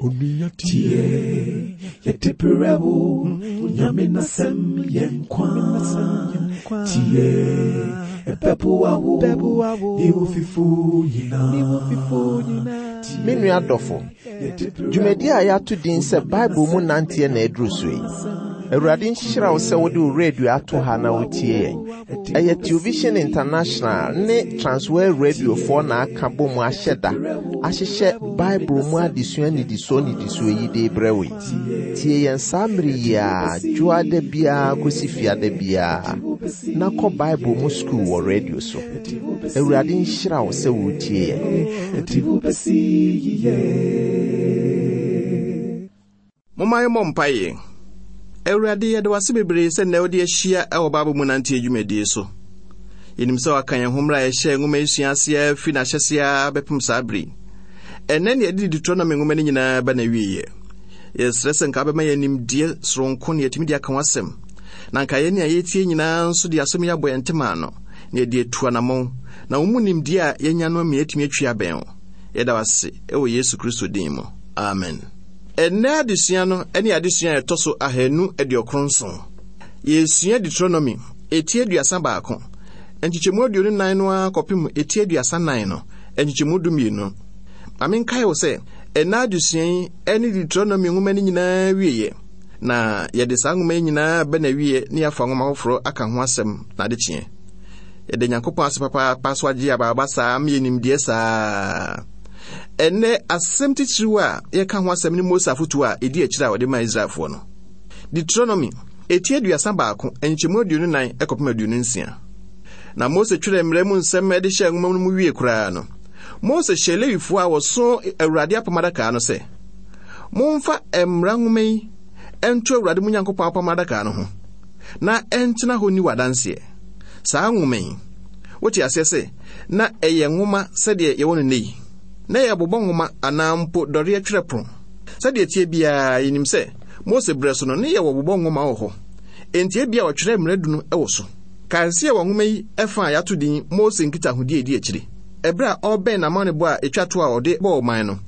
Tie, yɛde brɛ wo, Nyame n'asɛm yɛ nkwa. Tie, ɛbɛboa wo, ne wo fifo nyinaa. Me nua dɔfo, dwumadi a yɛato din sɛ Bible mu nanteɛ na aduru so yi. Awurade nhyira wo sɛ wode wo radio ato ha na wotie yɛn. Ɛyɛ Television International ne Transworld Radiofoɔ na aka bɔ mu ahyɛ da ahyehyɛ Bible mu adesua nnidisoɔ nnidisoɔ yi de brɛ wo yi. Tie yɛn saa mmere yi ara dwoada biara kɔsi fiada biara na kɔ Bible mu sukuu wɔ radio so. Awurade nhyira wo sɛ woretie yɛn. Momma yɛmmɔ mpaeɛ. Awurade, yɛda wo ase bebree sɛ nnɛ wode ahyia wɔ Bible mu nanteɛ dwumadie so. Yɛnim sɛ waka yɛn ho mmerɛ a yɛhyɛɛ nwoma yi sua aseɛ firi n'ahyɛseɛ ara bɛpem saa bere yi. Ɛnnɛ ne yɛde Deuteronomy nwoma no nyinaa ba n'awieeɛ. Yɛsrɛ sɛ nka wobɛma yɛn nimdeɛ soronko na yɛatumi de aka w'asɛm. Na nka yɛn a yɛtie nyinaa nso de asɛm yi abɔ yɛn ntema ano na yɛde atu anammɔn na wo mu nimdeɛ a yɛanya no ama yɛatumi atwi abɛn wo. Yɛda wo ase wɔ Yesu Kristo din mu. Amen. Ɛnnɛ adesua no ne adesua a ɛtɔ so 297. Yɛresua Deuteronomy, eti 31, nkyekyɛmu 24 no ara kɔpem eti 34 no, nkyekyɛmu 12. Ma menkae wo sɛ, ɛnnɛ adesua yi ne Deuteronomy nwoma no nyinaa wieɛ, na yɛde saa nwoma yi nyinaa bɛ n'awieɛ na yɛafa nwoma foforɔ aka ho asɛm n'adekyeɛ. Yɛda Nyankopɔn ase papaapa so agye abaaba saa ma yɛ nimdeɛ saa. Ɛnnɛ, asɛm titiriw a yɛka ho asɛm ne Mose afotu a edi akyiri a ɔde maa Israelfoɔ no. Deuteronomy, eti 31, nkyɛmu 24 kɔpem 26. Na Mose twerɛɛ mmara mu nsɛm de hyɛɛ nwoma no mu wie koraa no, Mose hyɛɛ Lewifoɔ a wɔso Awurade apam adaka no sɛ, Momfa mmara nwoma yi nto Awurade mo Nyankopɔn apam adaka no ho, na ɛntena hɔ nni wɔ adanseɛ. Saa nwoma yi, wote aseɛ sɛ na ɛyɛ nwoma sɛdeɛ yɛwɔ no nnɛ yi. Na ɛyɛ bobɔ nwoma anaa mpo dɔreɛ twerɛ pono. Sɛdeɛ ɛteɛ biara, yɛnim sɛ Mose berɛ so no, ne yɛwɔ bobɔ nwoma wɔ hɔ. Enti ebia wɔtwerɛɛ mmara du no wɔ so. Kae sɛ yɛwɔ nwoma yi fa a yɛato din Mose Nkitahodie a Ɛdi Akyire. Ɛberɛ a ɔrebɛn n'amanebɔ a ɛtwa toɔ a ɔde bɔɔ ɔman no,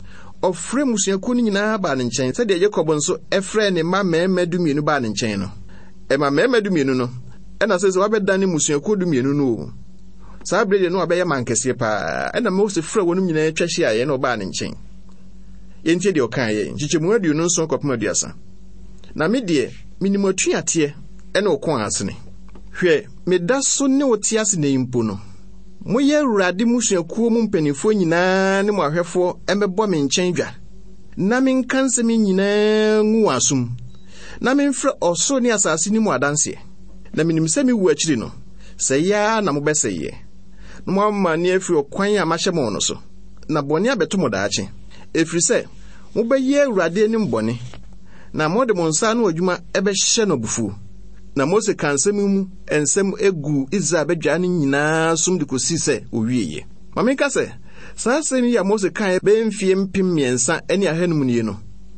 ɔfrɛɛ mmusuakuo no nyinaa baa ne nkyɛn sɛdeɛ Yakob nso frɛɛ ne mma mmarima dumienu baa ne nkyɛn no. Ɛma mmarima dumienu no, ɛna sɛ sɛ wɔabɛdane mmusuakuo dumienu no o. Saa bere deɛ na wabɛyɛ man kɛseɛ paa. Ɛna Mose frɛɛ wɔnom nyinaa twa hyiaeɛ na ɔbaa ne nkyɛn. Yɛntie deɛ ɔkaeɛ, nkyekyɛmu 27 kɔpem 30. Na me deɛ, menim atuateɛ ne wo kɔn asene. Hwɛ, meda so ne wo te ase nnɛ yi mpo no, moyɛ Awurade mmusuakuo mu mpanimfoɔ nyinaa ne mo ahwɛfoɔ mmɛbɔ me nkyɛn dwa, na menka nsɛm yi nyinaa ngu wɔn asom, na memfrɛ ɔsoro ne asase nni mo adanseɛ. Na menim sɛ me wuo akyiri no, Sɛe ara na mobɛsɛeɛ, na moamane afiri ɔkwan a mahyɛ mo no so, na bɔne abɛto mo daakye, ɛfiri sɛ mobɛyɛ Awurade anim bɔne, na mode mo nsa ano adwuma bɛhyɛ no abufuo. Na Mose kaa nsɛm yi mu nsɛm guu Israel badwa no nyinaa som de kɔsii sɛ ɔwieeɛ. Ma menka sɛ, saa asɛm yi a Mose kaeɛ bɛyɛ mfeɛ 3500 nie no,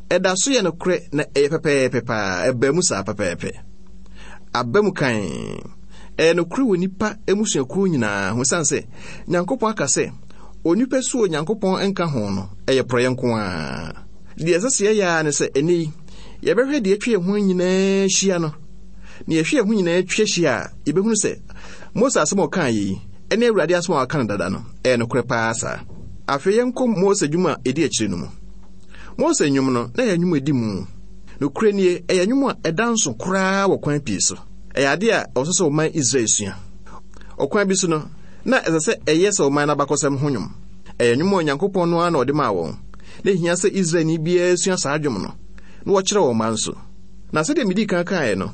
ɛda so yɛ nokorɛ na ɛyɛ pɛpɛɛpɛ paa, ɛbaa mu saa pɛpɛɛpɛ. Aba mu kann. Ɛyɛ nokorɛ wɔ nnipa mmusuakuo nyinaa ho ɛsiane sɛ Nyankopɔn aka sɛ onipa su Onyankopɔn nka ho no, ɛyɛ porɔeɛ nko ara. Deɛ ɛsɛ sɛ yɛyɛ ara ne sɛ ɛnnɛ yi, yɛbɛhwɛ deɛ atwa yɛn ho nyinaa hyia no. Na yɛhwɛ yɛn ho nyinaa twa hyia a, yɛbɛhunu sɛ Mose asɛm a ɔkaa yi ne Awurade asɛm a waka no dada no, ɛyɛ nokorɛ paa saa. Afei yɛnkɔ Mose dwom a ɛdi akyire no mu. Mose nnwom no, na ɛyɛ nnwom a ɛdi mu. Nokorɛ nie, ɛyɛ nnwom a ɛda nso koraa wɔ kwan pii so. Ɛyɛ ade a ɛwɔ sɛ ɔman Israel sua. Ɔkwan bi so no, na ɛsɛ sɛ ɛyɛ sɛ ɔman no abakɔsɛm ho nnwom. Ɛyɛ nnwom a Onyankopɔn no ara na ɔde maa wɔn. Na ehia sɛ Israelni biara sua saa dwom no, na wɔkyerɛ wɔn mma nso. Na sɛdeɛ midii kan kaeɛ no,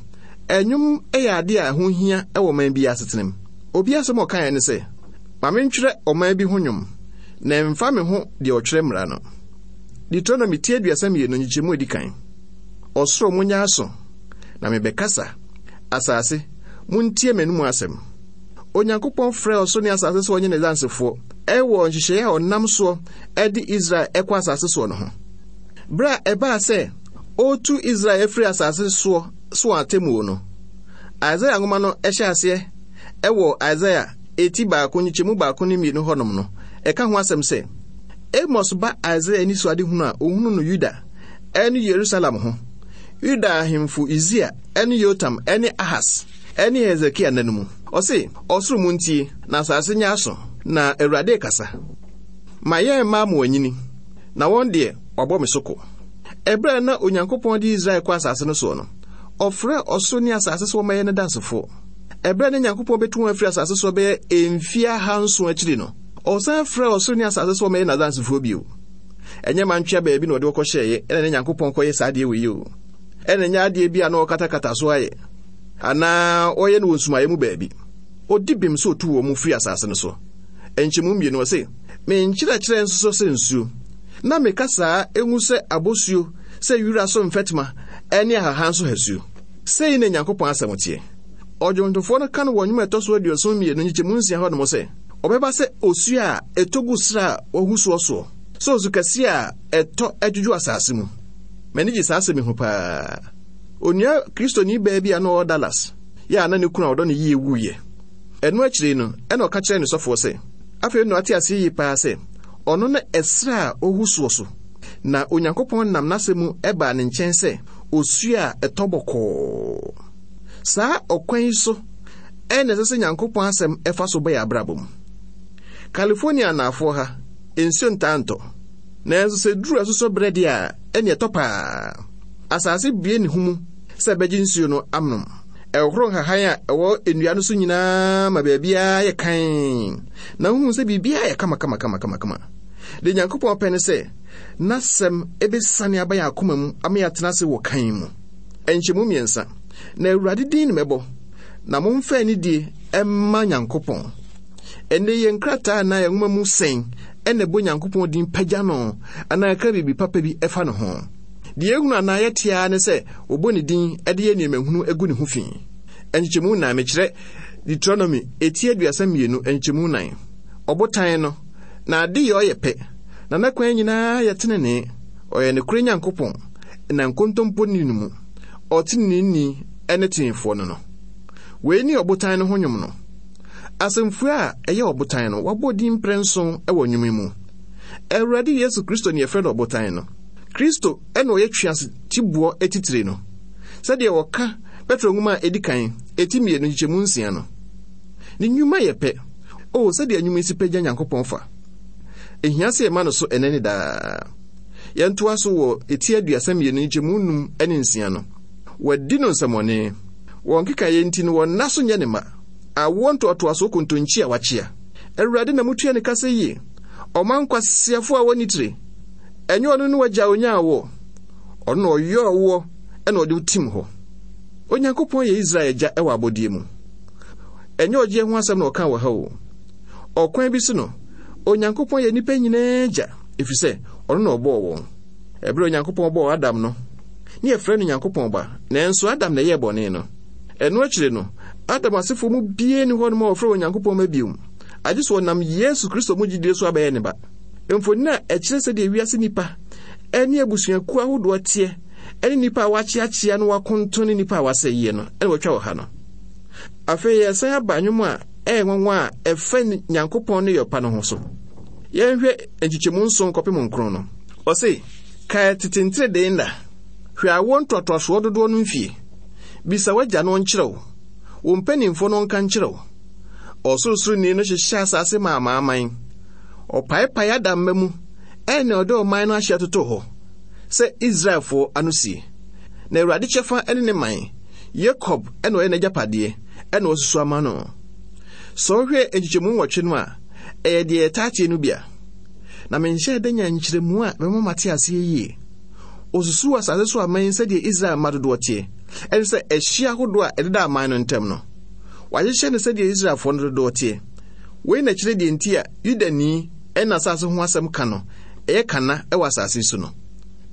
nnwom yɛ ade a ɛho hia wɔ ɔman biara asetenam. Obi asɛm a ɔkaeɛ ne sɛ, Ma mentwerɛ ɔman bi ho nnwom, na ɛmfa me ho deɛ ɔtwerɛ mmara no. Deuteronomy ti 32 nkyekyɛmu a edi kan. Ɔsoro, monyɛ aso, na mebɛkasa. Asase, muntie m'anom asɛm. Onyankopɔn frɛɛ ɔsoro ne asase sɛ wɔnyɛ n'adansefoɔ wɔ nhyehyɛeɛ a ɔnam soɔ de Israel kɔ asase soɔ no ho. Berɛ a ɛbaa sɛ ɔretu Israel afiri asase soɔ so wɔn atemmuo no, Isaiah nwoma no hyɛ aseɛ wɔ Isaiah eti baako nkyekyɛmu baako ne mmienu hɔnom no, ɛka ho asɛm sɛ, Amos ba Isaiah anisoadehunu a ɔhunu no Yuda. ne Yerusalem ho, Yuda ahemfo Usia ne Yotam ne Ahas ne Hesekia nna no mu. Ɔse, Ɔsoro muntie, na asase nyɛ aso, na Awurade rekasa. Ma yɛn mma ama wɔanyini, na wɔn deɛ, wɔabɔ me so ko. Ɛberɛ a na Onyankopɔn de Israel kɔ asase no soɔ no, ɔfrɛɛ ɔsoro ne asase sɛ wɔmmɛyɛ ne dansefoɔ. Ɛberɛ a na Nyankopɔn bɛtu wɔn afiri asase soɔ bɛyɛ mfeɛ ahanson akyiri no, ɔsan frɛɛ ɔsoro ne asase sɛ wɔmmɛyɛ n'adansefoɔ bio. Ɛnyɛ mantwea baabi na ɔde wɔkɔhyɛeɛ ɛna ne Nyankopɔn kɔyɛ saa adeɛ wei o. Ɛna ɛnyɛ adeɛ bi a na ɔkatakata so ayɛ anaa ɔyɛ no wɔ nsumaeɛ mu baabi. Ɔdi bem sɛ ɔtu wɔn firi asase no so. Nkyɛmu mmienu ɔse, Me nkyerɛkyerɛ nsosɔ sɛ nsuo, na me kasaa ngu sɛ abosuo, sɛ wira so mfɛtema ne ahahan so hasuo. Sei na Nyankopɔn asɛm teɛ. Ɔdwontofoɔ no ka no wɔ nnwom a ɛtɔ so 72 nkyekyɛmu nsia hɔ nom sɛ, Ɔbɛba sɛ osuo a ɛtɔ gu serɛ a wɔahu soɔ soɔ, sɛ osu kɛseɛ a ɛtɔ dwodwo asase mu. M'ani gye saa asɛm yi ho paa. Onua Kristoni baa bi a na ɔwɔ Dallas, yɛ a na ne kunu a ɔdɔ no yie wuiɛ. Ɛno akyiri no, ɛna ɔka kyerɛɛ ne sɔfoɔ sɛ, afei na wate aseɛ yie paa sɛ ɔno ne ɛserɛ a ɔhu soɔ so, na Onyankopɔn nam n'asɛm mu baa ne nkyɛn sɛ osuo a ɛtɔ bɔkɔɔ. Saa ɔkwan yi so ɛna ɛsɛ sɛ Nyankopɔn asɛm ɛfa so ba yɛn abrabɔ mu. California anaafoɔ ha, nsuo ntaa ntɔ. Nanso sɛ duru asusɔ berɛ deɛ a, ɛne ɛtɔ paa. Asase bue ne ho mu sɛ ɛbɛgye nsuo no anom. Ɛhohoro nhahan a ɛwɔ nnua no so nyinaa ma baabiara yɛ kann, na wohu sɛ biribiara yɛ kamakamakamakama. Deɛ Nyankopɔn pɛ ne sɛ n'asɛm bɛsiane aba yɛn akoma mu ama yɛatena ase wɔ kann mu. Nkyɛmu mmiɛnsa, na Awurade din na mɛbɔ, na momfa anidie mma Nyankopɔn. Ɛnnɛ yɛn nkrataa anaa yɛn nwoma mu sɛn na ɛbɔ Nyankopɔn din pagya no anaa ɛka biribi papa bi ɛfa ne ho? Deɛ ehunu anaa yɛte ara ne sɛ wɔbɔ ne din de yɛ nneɛma hunu gu ne ho fi. Nkyekyɛmu nan, mekyerɛ Deuteronomy eti 32 nkyekyɛmu nan. Ɔbotan no, na ade yɛ ɔyɛ pɛ, na n'akwan nyinaa yɛ tenenee. Ɔyɛ nokorɛ Nyankopɔn, na nkontompo nni no mu. Ɔteneneeni ne teefoɔ no no. Wei ne ɔbotan no ho nnwom no. Asɛmfua a ɛyɛ ɔbotan no, wɔabɔ din mprɛnson wɔ nnwom yi mu. Awurade Yesu Kristo ne yɛfrɛ no ɔbotan no. Kristo na ɔyɛ twease tiboɔ atitire no, sɛdeɛ wɔka Petro nwoma a edi kan, eti mmienu nkyekyɛmu nsia no. Ne nnwuma yɛ pɛ. O, sɛdeɛ nnwuma yi si pagya Nyankopɔn fa! Ehia sɛ yɛma no so ɛnnɛ ne daa. Yɛntoa so wɔ eti 32 nkyekyɛmu num ne nsia no. Wɔadi no nsɛmmɔne. Wɔn nkekaeɛ nti no wɔn nna so nyɛ ne ma. Awoɔ ntoatoasoɔ kontonkyi a wakyea. Awurade na mutua ne ka sɛ yie. Ɔma nkwaseafoɔ a wɔnni tire. Ɛnyɛ ɔno ne w'agya a onyaa woɔ. Ɔno na ɔyɔɔ woɔ ɛna ɔde wo tim hɔ. Onyankopɔn yɛ Israel agya wɔ abɔdeɛ mu. Ɛnyɛ ɔgyeɛ ho asɛm na ɔka wɔ ha o. Ɔkwan bi so no, Onyankopɔn yɛ nnipa nyinaa agya, ɛfiri sɛ ɔno na ɔbɔɔ wɔn. Ɛberɛ a Onyankopɔn bɔɔ Adam no, ne yɛfrɛ no Nyankopɔn ba, nanso Adam na ɛyɛɛ bɔne no. Ɛno akyire no, Adam asefoɔ mu biara nni hɔnom a wɔfrɛ wɔn Nyankopɔn mma bio, agye sɛ wɔnam Yesu Kristo mu gyidie so abɛyɛ ne ba. Mfonini a ɛkyerɛ sɛdeɛ wiase nnipa ne abusuakuo ahodoɔ teɛ ne nnipa a wɔakyeakyea na wɔakonton ne nnipa a wɔasɛeɛ no na wɔatwa wɔ ha no. Afei yɛsan aba nnwom a ɛyɛ nwanwa a ɛfa Nyankopɔn ne yɔpa no ho so. Yɛnhwɛ nkyekyɛmu nson kɔpem nkron no. Ɔse, Kae tete nteredee nna, hwɛ awoɔ ntoatoasoɔ dodoɔ no mfie. Bisa w'agya na ɔnkyerɛ wo, wo mpanimfoɔ na ɔnka nkyerɛ wo. Ɔsorosoroni no hyehyɛ asase ma amanaman. Ɔpaepae Adam mma mu ɛna ɔde ɔman no ahyeɛ totoo hɔ sɛ Israelfoɔ ano sie. Na Awurade kyɛfa ne ne man, Yakob na ɔyɛ n'agyapadeɛ ɛna wasusu ama no. Sɛ wohwɛ nkyekyɛmu nwɔtwe no a, ɛyɛ deɛ yɛtaa tie no bi a. Na menhyɛɛ da nyaa nkyerɛmu a ɛbɛma mate aseɛ yie. Ɔsusuu asase so aman sɛdeɛ Israel mma dodoɔ teɛ, ɛne sɛ ɛhyeɛ ahodoɔ a ɛdeda aman no ntam no. Wahyehyɛ no sɛdeɛ Israelfoɔ no dodoɔ teɛ. Wei na ɛkyerɛ deɛ nti a Yudani n'asase ho asɛm ka no ɛyɛ kana wɔ asase so no.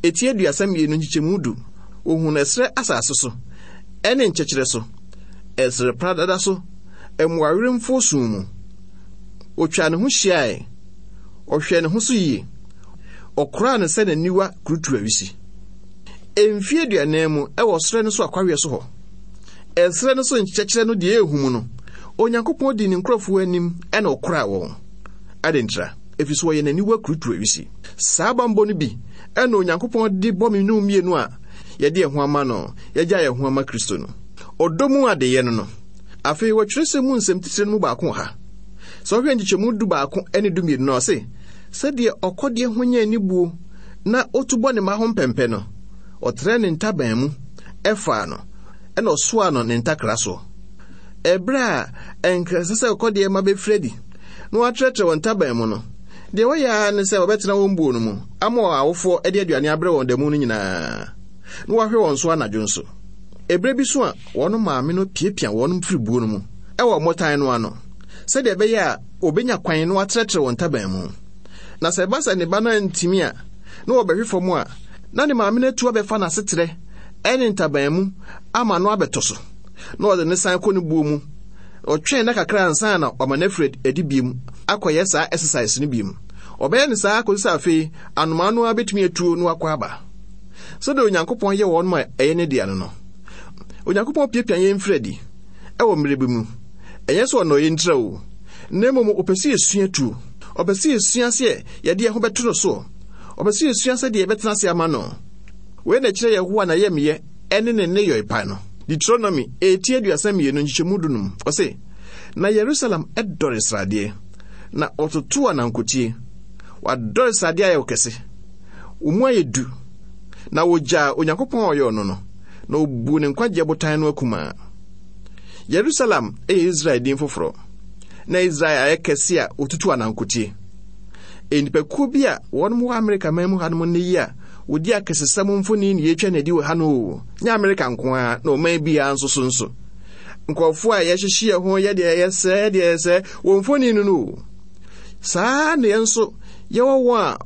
Eti 32 nkyekyɛmu du, wɔhunu ɛserɛ asase so, ɛne nkyɛkyerɛ so, ɛserɛ pradada so, mmoawerɛmfoɔ sum mu. Ɔtwaa ne ho hyiae, ɔhwɛɛ ne ho so yie, ɔkoraa no sɛ n'aniwa kurutuawisi. Mfeɛ 40 mu wɔ serɛ no so akwaweɛ so hɔ, ɛserɛ no so nkyɛkyerɛ no deɛ ɛhu mu no, Onyankopɔn dii ne nkurɔfoɔ anim na ɔkoraa wɔn. Adɛn ntira? ɛfiri sɛ wɔyɛ n'aniwa kurutuawisi. Saa bammɔ no bi na Onyankopɔn de bɔ me ne wo mmienu a yɛde yɛn ho ama no, yɛagya yɛn ho ama Kristo no. Ɔdɔ mu adeyɛ no no. Afei wɔ twerɛsɛm mu nsɛm titire no mu baako wɔ ha. Sɛ wohwɛ nkyekyɛmu 11 ne 12 no a, ɔse, Sɛdeɛ ɔkɔdeɛ ho nya anibuo na ɔtu bɔ ne mma ho mpɛmpɛ no, ɔtrɛɛ ne ntaban mu faa no, ɛna ɔsoaa no ne ntakra soɔ. Ɛberɛ a ɛnka ɛsɛ sɛ ɔkɔdeɛ mma bɛfiri adi na wɔatrɛtrɛ wɔn ntaban mu no, deɛ wɔyɛ ara ne sɛ wɔbɛtena wɔn buo no mu ama wɔn awofoɔ de aduane abrɛ wɔn da mu no nyinaa, na wɔahwɛ wɔn so anadwo nso. Ɛberɛ bi so a wɔn maame no piapia wɔn firi buo no mu wɔ mmotan no ano, sɛdeɛ ɛbɛyɛ a wɔbɛnya kwan na wɔatrɛtrɛ wɔn ntaban mu. Na sɛ ɛba sɛ ne ba no antumi a, na wɔbɛhwe fam a, na ne maame no atu abɛfa n'asetrɛ ne ntaban mu ama no abɛtɔ so, na ɔde no san kɔ ne buo mu. Ɔtwɛn nna kakra ansa na wama no afiri adi bio akɔyɛ saa exercise no bio. Ɔbɛyɛ no saa kɔsi sɛ afei anomaa no ara bɛtumi atuo na wakɔ aba. Sɛdeɛ Onyankopɔn yɛ wɔn ma ɛyɛ ne dea no no, Onyankopɔn piapia yɛn firi adi wɔ mmerɛ bi mu. Ɛnyɛ sɛ ɔnnɔ yɛn ntira o, na mmom ɔpɛ sɛ yɛsua tuo. Ɔpɛ sɛ yɛsua sɛ yɛde yɛn ho bɛto no soɔ. Ɔpɛ sɛ yɛsua sɛdeɛ yɛbɛtena ase ama no. Wei na ɛkyerɛ Yehowa n'ayamyɛ ne ne nneyɔe pa no. Deuteronomy eti 32 nkyekyɛmu 15, ɔse, Na Yerusalem dɔre sradeɛ, na wɔtoto anankotie. Wadɔre sradeɛ ayɛ wo kɛse. Wo mu ayɛ du. Na wɔgyaa Onyankopɔn a ɔyɔɔ no no, na wɔbuu ne nkwagyeɛ botan no akumaa. Yerusalem yɛ Israel din foforɔ. Na Israel ayɛ kɛse a wɔtutu anankotie. Nnipakuo bi a wɔnom wɔ Amerika man mu hanom nnɛ yi a wɔdi akɛsesɛm mfoni na yɛtwa no adi wɔ ha no o, nyɛ Amerika nko ara, na ɔman biara nso so nso. Nkurɔfoɔ a yɛhyehye yɛn ho yɛ deɛ yɛyɛ sɛɛ deɛ yɛyɛ sɛɛ wɔn mfoni no no o. Saa na yɛn nso yɛwɔ wɔn a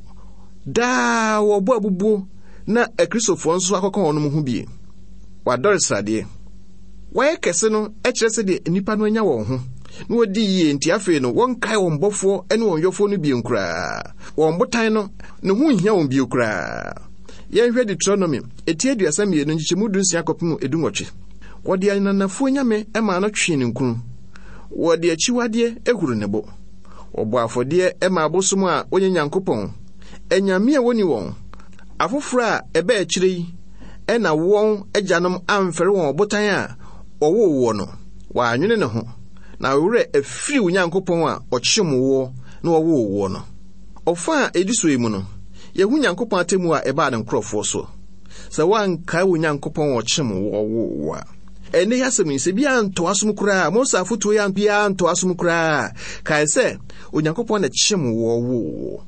daa wɔbɔ abubuo na Akristofoɔ nso akɔka wɔn ho bie. Wɔadɔre sradeɛ. Wɔayɛ kɛse no kyerɛ sɛdeɛ nnipa no anya wɔn ho na wɔdi yie nti afei no wɔnkae wɔn bɔfoɔ ne wɔn yɔfoɔ no bio koraa. Wɔn botan no, ne ho nhia wɔn bio koraa. Yɛnhwɛ Deuteronomy, eti 32 nkyekyɛmu 16 kɔpem 18. Wɔde ananafoɔ nyame maa no twee ne nkunu. Wɔde akyiwadeɛ huru ne bo. Wɔbɔ afɔdeɛ ma abosom a wɔnyɛ Nyankopɔn, anyame a wɔnni wɔn, afoforɔ a ɛbaa akyire yi na wɔn agyanom amfɛre wɔn ɔbotan a ɔwoo woɔ no, wɔannwene ne ho, na wo werɛ afiri wo Nyankopɔn a ɔkyem woɔ na ɔwoo woɔ no. Ɔfã a edi so yi mu no, yɛhu Nyankopɔn atemmu a ɛbaa ne nkurɔfoɔ so, Sɛ woankae wo Nyankopɔn a ɔkyem woɔ woo wo a. Ɛnnɛ yi asɛm yi, sɛ bi antɔ asom koraa, Mose afotuo yi biara antɔ asom koraa a, kae sɛ Onyankopɔn na ɛkyem woɔ woo wo.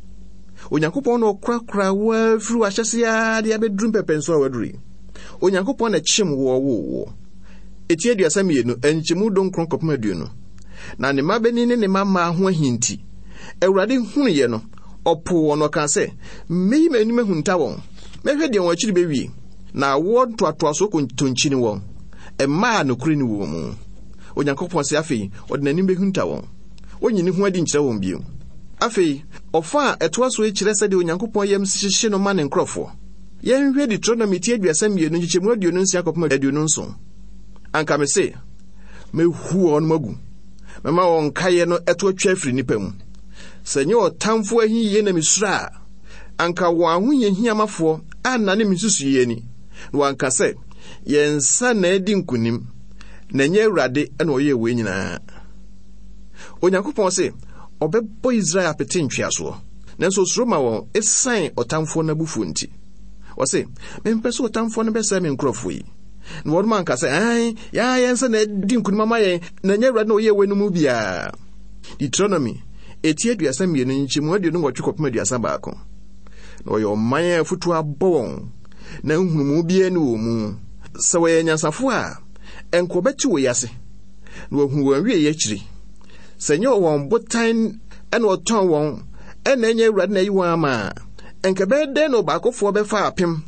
Onyankopɔn na ɔkorakora wo ara firi w'ahyɛse ara de abɛduru mpɛmpɛnsoɔ a waduru yi. Onyankopɔn na ɛkyem woɔ woo wo. Eti 32, nkyɛmu 19 kɔpem 20. Na ne mmabanin ne ne mmammaa ho ahi nti, Awurade hunuiɛ no, ɔpoo wɔn na ɔkaa sɛ, Mɛyi m'anim ahunta wɔn, mɛhwɛ deɛ wɔn akyiri bɛwie, na awoɔ ntoatoasoɔ kontonkyini wɔn, mma a nokorɛ nni wɔn mu. Onyankopɔn se afei ɔde n'anim bɛhunta wɔn. Ɔnyi ne ho adi nkyerɛ wɔn bio. Afei, ɔfã a ɛtoa so yi kyerɛ sɛdeɛ Onyankopɔn yam hyehye no ma ne nkurɔfoɔ. Yɛnhwɛ Deuteronomy ti 32 nkyekyɛmu 26 kɔpem 27. Anka mese, Mɛhu wɔn agu, mɛma wɔn nkaeɛ no ɛto atwa afiri nnipa mu. Sɛ ɛnyɛ ɔtamfo ahiyie na mesuro a, anka wɔn ahohiahiamafoɔ annane me nsusuiɛ ani, na wɔanka sɛ, Yɛn nsa na adi nkonim, na ɛnyɛ Awurade na ɔyɛɛ wei nyinaa. Onyankopɔn se ɔbɛbɔ Israel apete ntweasoɔ, nanso osuro ma wɔn esiane ɔtamfoɔ no abufuo nti. Ɔse, mempɛ sɛ ɔtamfoɔ no bɛsɛe me nkurɔfoɔ yi. Na wɔnom anka sɛ, Aane, yɛn ara yɛn nsa na adi nkonim ama yɛn, na ɛnyɛ Awurade na ɔyɛɛ wei no mu biara. Deuteronomy, eti 32 nkyɛmu 28 kɔpem 31. Na wɔyɛ ɔman a afutuo abɔ wɔn, na nhunumu biara nni wɔn mu. Sɛ wɔyɛ anyansafoɔ a, ɛnka wɔbɛte wei ase. na wɔahu wɔn awieeɛ akyiri. Sɛ ɛnyɛ wɔn botan na ɔtɔn wɔn na ɛnyɛ Awurade na ayi wɔn ama a, ɛnka ɛbɛyɛ dɛn na ɔbaakofoɔ bɛfa apem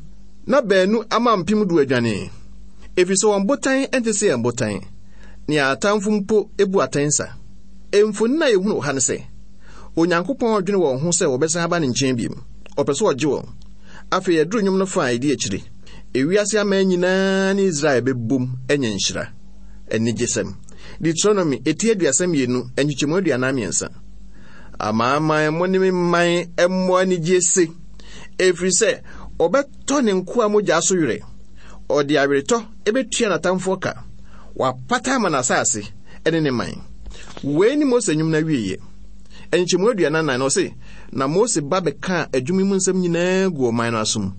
na baanu ama 10,000 adwane? Ɛfiri sɛ wɔn botan nte sɛ yɛn botan, nea atamfo mpo bu atɛn sa. Mfonini a yɛhunu wɔ ha ne sɛ, Onyankopɔn dwene wɔn ho sɛ wɔbɛsan aba ne nkyɛn bio. Ɔpɛ sɛ ɔgye wɔn. Afei yɛduru nnwom no fa a ɛdi akyiri. Ewiase aman nyinaa ne Israel bɛbom anya nhyira. Anigyesɛm. Deuteronomy, eti 32, nkyekyɛmu 43. Amanaman mo ne me man mmɔ anigye se, ɛfiri sɛ ɔbɛtɔ ne nkoa mogya so werɛ. Ɔde aweretɔ bɛtua n'atamfoɔ ka. Wapata ama n'asase ne ne man. Wei ne Mose nnwom no awieeɛ. Nkyɛmu 44 no, ɔse, Na Mose ba bɛkaa adwuma yi mu nsɛm nyinaa guu ɔman no asom,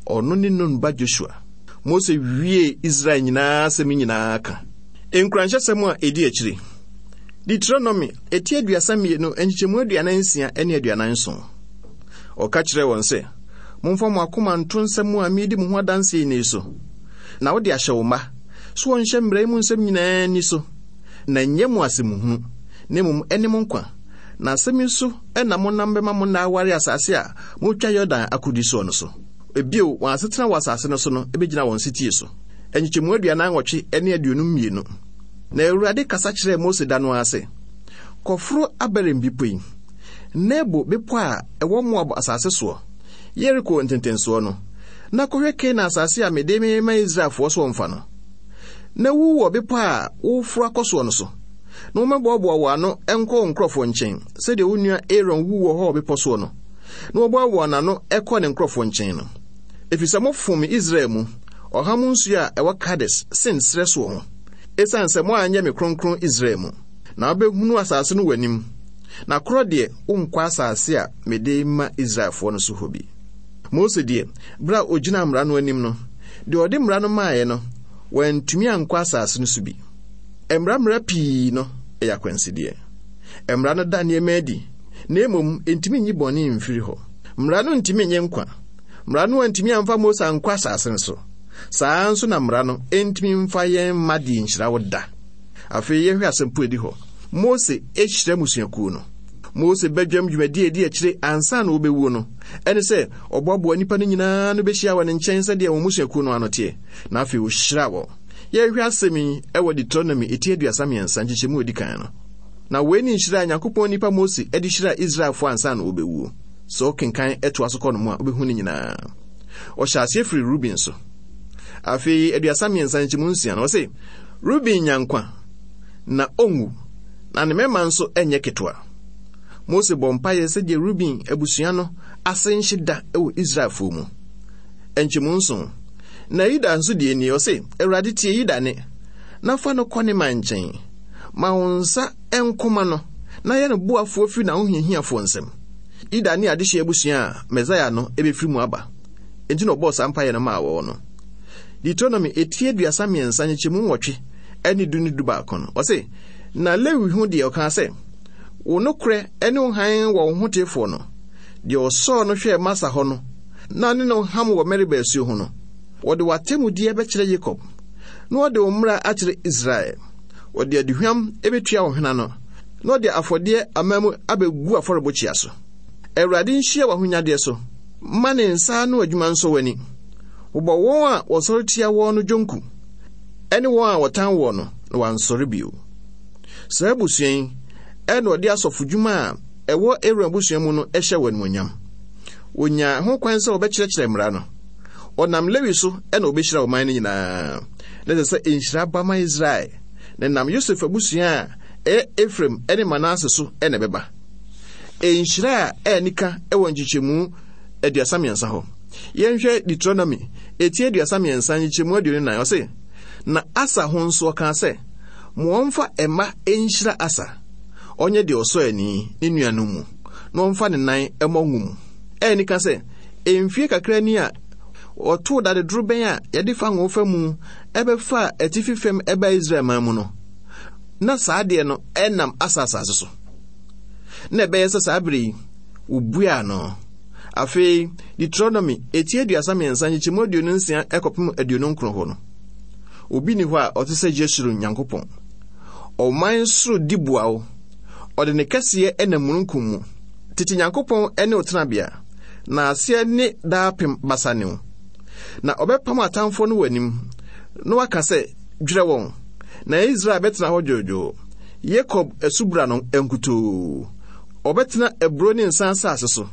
ɔno ne Nun ba Josua. Mose wiee Israel nyinaa asɛm nyinaa ka. Nkuranhyɛsɛm a ɛdi akyire. Deuteronomy, eti 32, nkyekyɛmu 46 ne 47. Ɔka kyerɛɛ wɔn sɛ, Momfa mo akoma nto nsɛm a meredi mo ho adanse nnɛ yi so, na wode ahyɛ wo mma, so wɔnhyɛ mmara yi mu nsɛm nyinaa nni so, na ɛnyɛ mo asɛmhunu, na mmom ɛne mo nkwa. Na asɛm yi so na monam bɛma mo nna aware asase a moretwa Yordan akodi soɔ no so. Bio, wɔn asetena wɔ asase no so no bɛgyina wɔn setie so. Nkyekyɛmu 48 ne 52. Na Awurade kasa kyerɛɛ Mose da no ara sɛ, Kɔforo Abarim bepɔ yi, Nebo bepɔ a ɛwɔ Moab asase soɔ, Yeriko ntentensoɔ no, na kɔhwɛ Kanaan asase a mede merema Israelfoɔ sɛ wɔmfa no. Na wu wɔ bepɔ a woreforo akɔ soɔ no so, na wɔmmɛboaboa wo ano nkɔ wo nkurɔfoɔ nkyɛn, sɛdeɛ wo nua Aaron wuu wɔ Hor bepɔ soɔ no, na wɔboaboaa n'ano kɔɔ ne nkurɔfoɔ nkyɛn no. Ɛfiri sɛ mofom me Israel mu, ɔham nsuo a ɛwɔ Kades, Sin serɛ soɔ ho, ɛsiane sɛ moanyɛ me kronkron Israel mu. Na wobɛhunu asase no w'anim, na korɔ deɛ wonkɔ asase a mede rema Israelfoɔ no so hɔ bi. Mose deɛ, berɛ a ɔgyinaa mmara no anim no, deɛ ɔde mmara no maeɛ no, wantumi ankɔ asase no so bi. Mmara mmara pii no yɛ akwansideɛ. Mmara no da nneɛma adi, na mmom ɛntumi nyi bɔne mfiri hɔ. Mmara no ntumi nye nkwa. Mmara no antumi amfa Mose ankɔ asase no so. Saa ara nso na mmara no ntumi mfa yɛn mma deɛ nhyira wo da. Afei yɛhwɛ asɛmpo edi hɔ. Mose hyira mmusuakuo no. Mose badwam dwumadi a edi akyire ansa na ɔbɛwuo no, ɛne sɛ ɔboaboa nnipa no nyinaa ano bɛhyia wɔ ne nkyɛn sɛdeɛ wɔn mmusuakuo no ano teɛ, na afei ɔhyira wɔn. Yɛhwɛ asɛm yi wɔ Deuteronomy eti 33 nkyekyɛmu a edi kan no. Na wei ne nhyira a Nyankopɔn nipa Mose de hyiraa Israelfoɔ ansa na ɔbɛwuo. Sɛ wokenkan toa so kɔ no mu a, wobɛhu ne nyinaa. Ɔhyɛ aseɛ firi Ruben so. Afei 33 nkyɛmu 6 no, ɔse, Ruben nya nkwa, na ɔnwu, na ne mmarima nso nyɛ ketewa. Mose bɔ mpaeɛ sɛdeɛ Ruben abusua no ase nhye da wɔ Israelfoɔ mu. Nkyɛmu 7. Na Yuda nso deɛ nie, ɔse, Awurade tie Yuda nne, na fa no kɔ ne man nkyɛn. Ma wo nsa nkoma no, na yɛ no boafoɔ firi n'ahohiahiafoɔ nsam. Yuda ne adehyeɛ abusua a Mesaia no bɛfiri mu aba. Enti na ɔbɔɔ saa mpaeɛ no maa wɔn no. Deuteronomy eti 33 nkyekyɛmu 8 ne du ne dubaako no, ɔse, Na Lewi ho deɛ ɔkaa sɛ, Wo nokorɛ ne wo hann wɔ wo hoteefoɔ no, deɛ ɔsɔɔ no hwɛɛ Masa hɔ no, na ne no ham wɔ Meriba asuo ho no. Wɔde w'atemmudeɛ bɛkyerɛ Yakob, na wɔde wo mmara akyerɛ Israel. Wɔde aduhwam bɛtua wo hwene ano, na wɔde afɔdeɛ aman mu abɛgu afɔrebɔkyia so. Awurade nhyia w'ahonyadeɛ so, ma ne nsa ano adwuma nsɔ w'ani. Bobɔ wɔn a wɔsɔre tia wɔn no dwonku, ne wɔn a wɔtan wɔn no, na wɔansɔre bio. Saa abusua yi na ɔde asɔfodwuma a ɛwɔ Aaron abusua mu no hyɛ wɔn animuonyam. Wɔnyaa ho kwan sɛ wɔbɛkyerɛkyerɛ mmara no. Ɔnam Lewi so na wɔbɛhyira ɔman no nyinaa. Na ɛsɛ sɛ nhyira ba ma Israel, na ɛnam Yosef abusua a ɛyɛ Efraim ne Manase so na ɛbɛba. Nhyira a ɛnika wɔ nkyekyɛmu 33 hɔ. Yɛnhwɛ Deuteronomy eti 33 nkyekyɛmu 24. Ɔse, Na Asa ho nso ɔkaa sɛ, Mo wɔmfa mma nhyira Asa, ɔnyɛ deɛ ɔsɔ ani ne nuanom mu, na ɔmfa ne nan mmɔ ngo mu. Ɛni ka sɛ, mfie kakra ni a wɔtoo dade dorobɛn a yɛde fa ngo fa mu ɛbɛfaa atifi fam ɛbaa Israel man mu no, na saa adeɛ no ɛnam Asa asase so. Na ɛbɛyɛ sɛ saa bere yi, wobuaa no. Afei, Deuteronomy eti 33 nkyekyɛmu 26 kɔpem 29 hɔ no, obi nni hɔ a ɔte sɛ Yeshurun Nyankopɔn. Ɔman soro di boa wo, ɔde ne kɛseyɛ nam mununkum mu. Tete Nyankopɔn ne wo tenabea, na aseɛ ne daapem basa ne wo. Na ɔbɛpam atamfoɔ no w'anim, na waka sɛ, Dwerɛ wɔn! Na Israel bɛtena hɔ dwoodwoo, Yakob asubura no nkutoo. Ɔbɛtena aburow ne nsa asase so,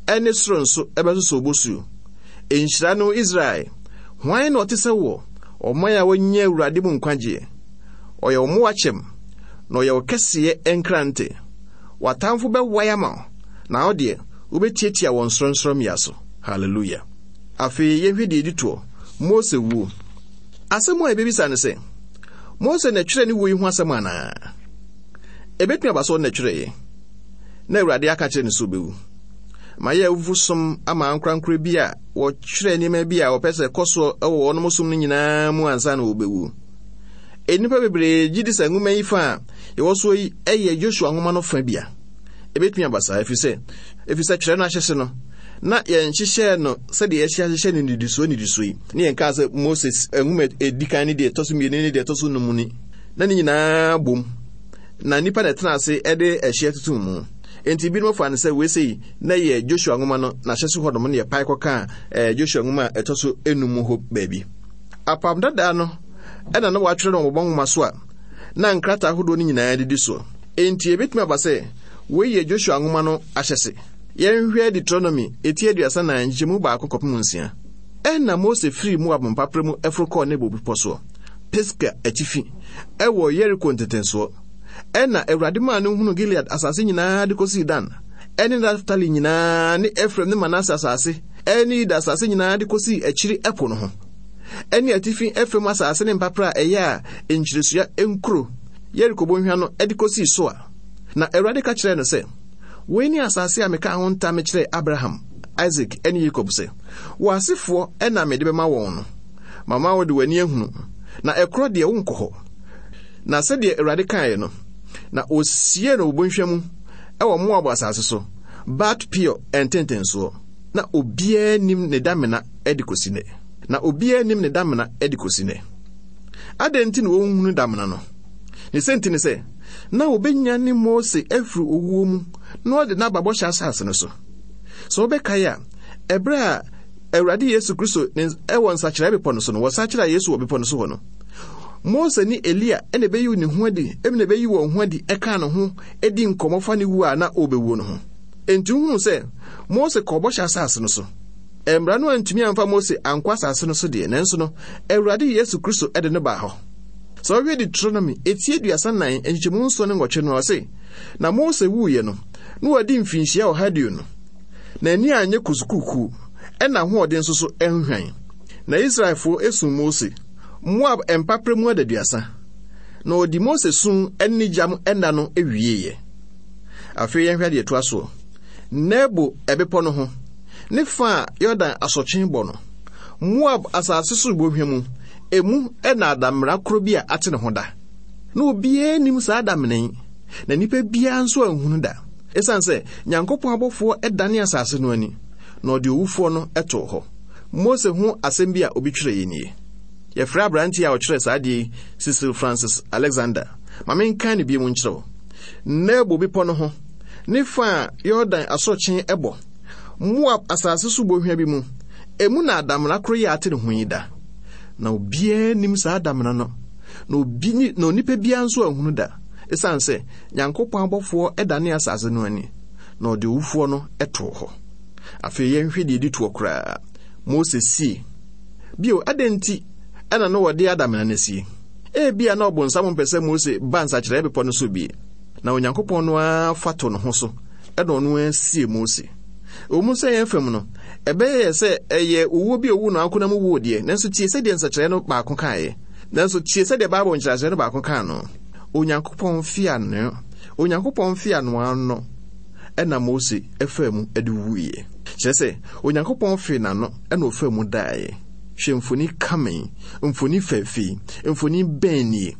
ɛne soro nso ɛbɛsosɔ obosuo. Nhyira ne wo, Israel! Hwan na ɔte sɛ woɔ, ɔman a wɔanya Awurade mu nkwagyeɛ? Ɔyɛ wo mmoa kyɛm, na ɔyɛ wo kɛseyɛ nkrante. W'atamfo bɛwae ama wo, na wo deɛ, wobɛtiatia wɔn sorɔnsorɔmmea so. Hallelujah. Afei yɛnhwɛ deɛ ɛdi toɔ, Mose wuo. Asɛm a yɛbɛbisa ne sɛ, Mose na ɛtwerɛ ne wuo yi ho asɛm anaa? Ɛbɛtumi aba sɛ ɔno na ɛtwerɛeɛ, na Awurade aka kyerɛ no sɛ ɔbɛwu. Mayɛ awufo som ama ankorankoro bi a wɔtwerɛ nneɛma bi a wɔpɛ sɛ ɛkɔ soɔ wɔ wɔnom som no nyinaa mu ansa na wɔbɛwu. Nnipa bebree gye di sɛ nwoma yi fa a yɛwɔ soɔ yi yɛ Joshua nwoma no fa bi a. Ɛbɛtumi aba saa ɛfiri sɛ ɛfiri sɛ twerɛ no ahyɛse no na yɛnhyehyɛɛ no sɛdeɛ yɛhyɛ ahyehyɛ no nnidisoɔ nnidisoɔ yi ne yɛnkaa sɛ Moses nwoma ɛdi kan ne deɛ ɛtɔ so mmienu ne deɛ ɛtɔ so num ni na ne nyinaa bom na nnipa na ɛtena ase de ɛhyeɛ toto mu. Enti binom fa no sɛ wei sei na yɛ Joshua nwoma no n'ahyɛse hɔnom ne yɛpae kɔkaa eh, Joshua nwoma a ɛtɔ so enum hɔ baabi. Apam dadaa no ɛna na wɔatwerɛ no wɔ bɔbɔ nwoma so a na nkrataa ahodoɔ no nyinaa didi soɔ. Enti ebetumi aba sɛ wei yɛ Joshua nwoma no ahyɛse. Yɛnhwɛ Deuteronomy eti 34 nkyekyɛmu baako kɔpem nsia. Ɛnna Mose firii Moab mpaperɛ mu foro kɔɔ Nebo bepɔ soɔ, Pisga atifi, ɛwɔ Yeriko ntentensoɔ. Ɛnna Awurade maa no hunuu Gilead asase nyinaa de kɔsii Dan, ɛne Naftali nyinaa ne Efraim ne Manase asase, ɛne Yuda asase nyinaa de kɔsii akyiri ɛpo no ho, ɛne atifi fam asase ne mpaperɛ a ɛyɛ a nkyiresua nkuro, Yeriko bɔnhwa no de kɔsii Soar. Na Awurade ka kyerɛɛ no sɛ, Wei ne asase a mekaa ho ntam mekyerɛɛ Abraham, Isak ne Yakob sɛ, 'W'asefoɔ na mede bɛma wɔn no. Mama wode w'ani ahunu, na ɛkorɔ deɛ wonkɔ hɔ. Na sɛdeɛ Awurade kaeɛ no, na ɔsiee no wɔ bɔnhwa mu wɔ Moab asase so, Bat Peor ntentensoɔ. Na obiara nnim ne damena de kɔsi nnɛ. Na obiara nnim ne damena de kɔsi nnɛ. Adɛn nti na wɔnhunu damena no? Ne sɛ nti ne sɛ, na wɔbɛnyane Mose afiri owuo mu na ɔde no aba bɔhyɛ asase no so. Sɛ wobɛkae a, ɛberɛ a Awurade Yesu Kristo wɔ nsakyeraɛ bepɔ no so no, wɔsakyera Yesu wɔ bepɔ no so hɔ no, Mose ne Elia na ɛbɛyi ne ho adi, na ɛbɛyi wɔn ho adi ɛkaa ne ho di nkɔmmɔ fa ne wu a na ɔrebɛwuo no ho. Enti wohunu sɛ Mose kɔɔ bɔhyɛ asase no so. Mmara no antumi amfa Mose ankɔ asase no so deɛ, nanso no, Awurade Yesu Kristo de no baa hɔ. Sɛ wohwɛ Deuteronomy eti 34 nkyekyɛmu nson ne nwɔtwe no a, ɔse, Na Mose wuiɛ no, na wadi mfinhyia 120, na ani anyɛ kusukuukuu, ɛna ahoɔden nso so anhwan. Na Israelfoɔ esuu Mose, Moab mpaperɛ mu adaduasa, na ɔdi Mose su ne ne gyam nna no wieeɛ. Afei yɛnhwɛ adeɛ ɛtoa soɔ. Nebo ɛbepɔ no ho, ne fa a Yordan asɔtwe bɔ no, Moab asase so bɔhwa mu, emu na adamena koro bi a ate ne ho da. Na obiara nnim saa adamena yi, na nnipa biara nso anhunu da, esiane sɛ Nyankopɔn abɔfoɔ dane asase no ani, na ɔde owufoɔ no too hɔ. Mose ho asɛm bi a obi twerɛeɛ nie. Yɛfrɛ aberanteɛ a ɔtwerɛɛ saa adeɛ yi Cecil Francis Alexander. Ma menkan no bio nkyerɛ wo. Nebo bepɔ no ho, ne fa a Yordan asorɔkye bɔ, Moab asase so bɔnhwa bi mu, emu na adamena koro yi a ate ne ho yi da. Na obiara nnim saa adamena no, na obi na onipa biara nso anhunu da, esiane sɛ Nyankopɔn abɔfoɔ dane asase no ani, na ɔde owufoɔ no too hɔ. Afei yɛnhwɛ deɛ ɛdi toɔ koraa. Mose sie. Bio, adɛn nti na na wɔde adamena no asie? Ebia na ɔbonsam mpɛ sɛ Mose ba nsakyeraɛ bepɔ no so bi, na Onyankopɔn no ara fa to ne ho so na ɔno ara sie Mose. Ɛwɔ mu sɛ yɛn fam no, ɛbɛyɛ yɛ sɛ ɛyɛ owuo bi a owu no ankonam wuo deɛ, nanso tie sɛdeɛ nsakyeraɛ no baako kaeɛ. Nanso tie sɛdeɛ Bible nkyerɛaseɛ no baako kaa no. Onyankopɔn mfeano, Onyankopɔn mfeano ano ɛna Mose faa mu de wuiɛ. Kyerɛ sɛ, Onyankopɔn fee n'ano ɛna ɔfaa mu daeɛ. Hwɛ mfoni kama yi, mfoni fɛɛfɛ yi, mfoni bɛn nie?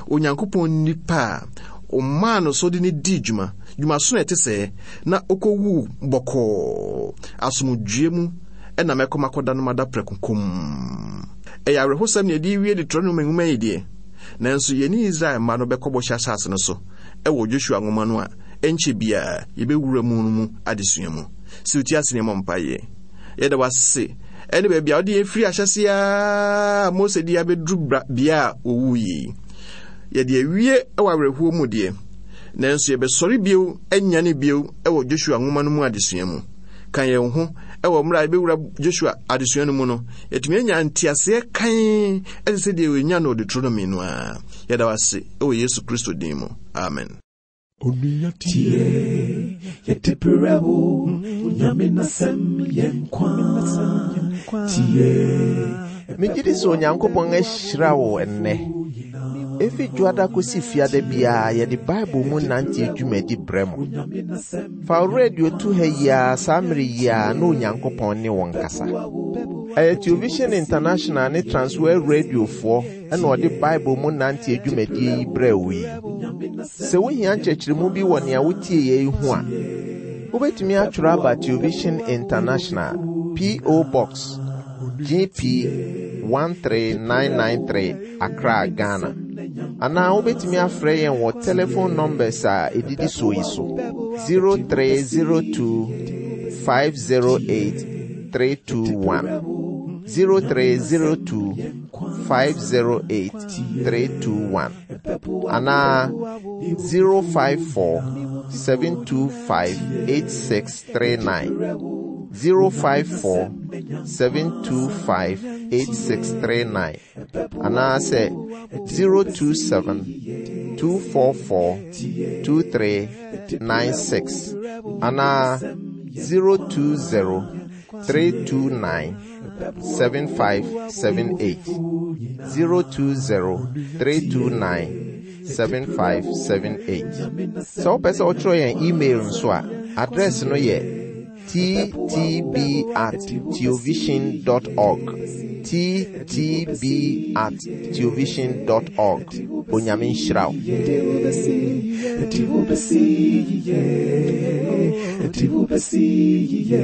Onyankopɔn nipa a ɔmaa no so de no dii dwuma, dwumasono a ɛte sɛɛ, na ɔkɔwuu bɔkɔɔ, asomdwoeɛ mu ɛna mɛkɔ makɔda no mada prɛko komm. Ɛyɛ awerɛhosɛm na yɛde rewie Deuteronomy nwoma yi deɛ, nanso yɛne Israel mma no bɛkɔ bɔhyɛ asase no so ɛwɔ Joshua nwoma no a ɛnkyɛ biara yɛbɛwura mu no mu adesua mu. Sɛ wotie ase ne yɛmmɔ mpaeɛ. Yɛda wo ase ɛne baabi a wode yɛn firi ahyɛse a Mose de abɛduru bea a wɔwu yi. Yɛde awie wɔ awerɛhoɔ mu deɛ, nanso yɛbɛsɔre bio anyane bio wɔ Joshua nwoma no mu adesua mu. Ka yɛn ho wɔ mmerɛ a yɛbɛwura Joshua adesua no mu no, yɛtumi anya nteaseɛ kann ɛte sɛ deɛ wɔnya no Deuteronomy no ara. Yɛda wo ase wɔ Yesu Kristo din mu. Amen. Onua tie, yɛde brɛ wo, Onyame n'asɛm yɛ nkwa. Tie. Megye di sɛ Onyankopɔn ahyira wo ɛnnɛ. Efi dwoada kosi fiada biara yɛde Bible mu nante dwumadi brɛ mo. Fa wo radio to ha yi ara saa mmere yi ara na Onyankopɔn ne wo nkasa. Ɛyɛ Television International ne Transworld Radiofoɔ ɛna ɔde Bible mu nante dwumadie yi brɛ wo yi. Sɛ wohia nkyerɛkyerɛmu bi wɔ nea wotie yɛ yi ho a, wobɛtumi atwerɛ aba Television International, P.O. Box, GP 13993, Accra, Ghana. Anaa wobɛtumi afrɛ yɛn wɔ telephone numbers a ɛdidi soɔ yi so: 0302 508 321, 0302 508 321, anaa 054 725 8639, 054 725 8639, anaasɛ 027 244 2396, anaa 020 329 7578, 020 329 7578. Sɛ wopɛ sɛ wotwerɛ yɛn email nso a, address no yɛ ttb@teovision.org, ttb@teovision.org. Onyame nhyira wo. Ɛde wo bɛsi yie.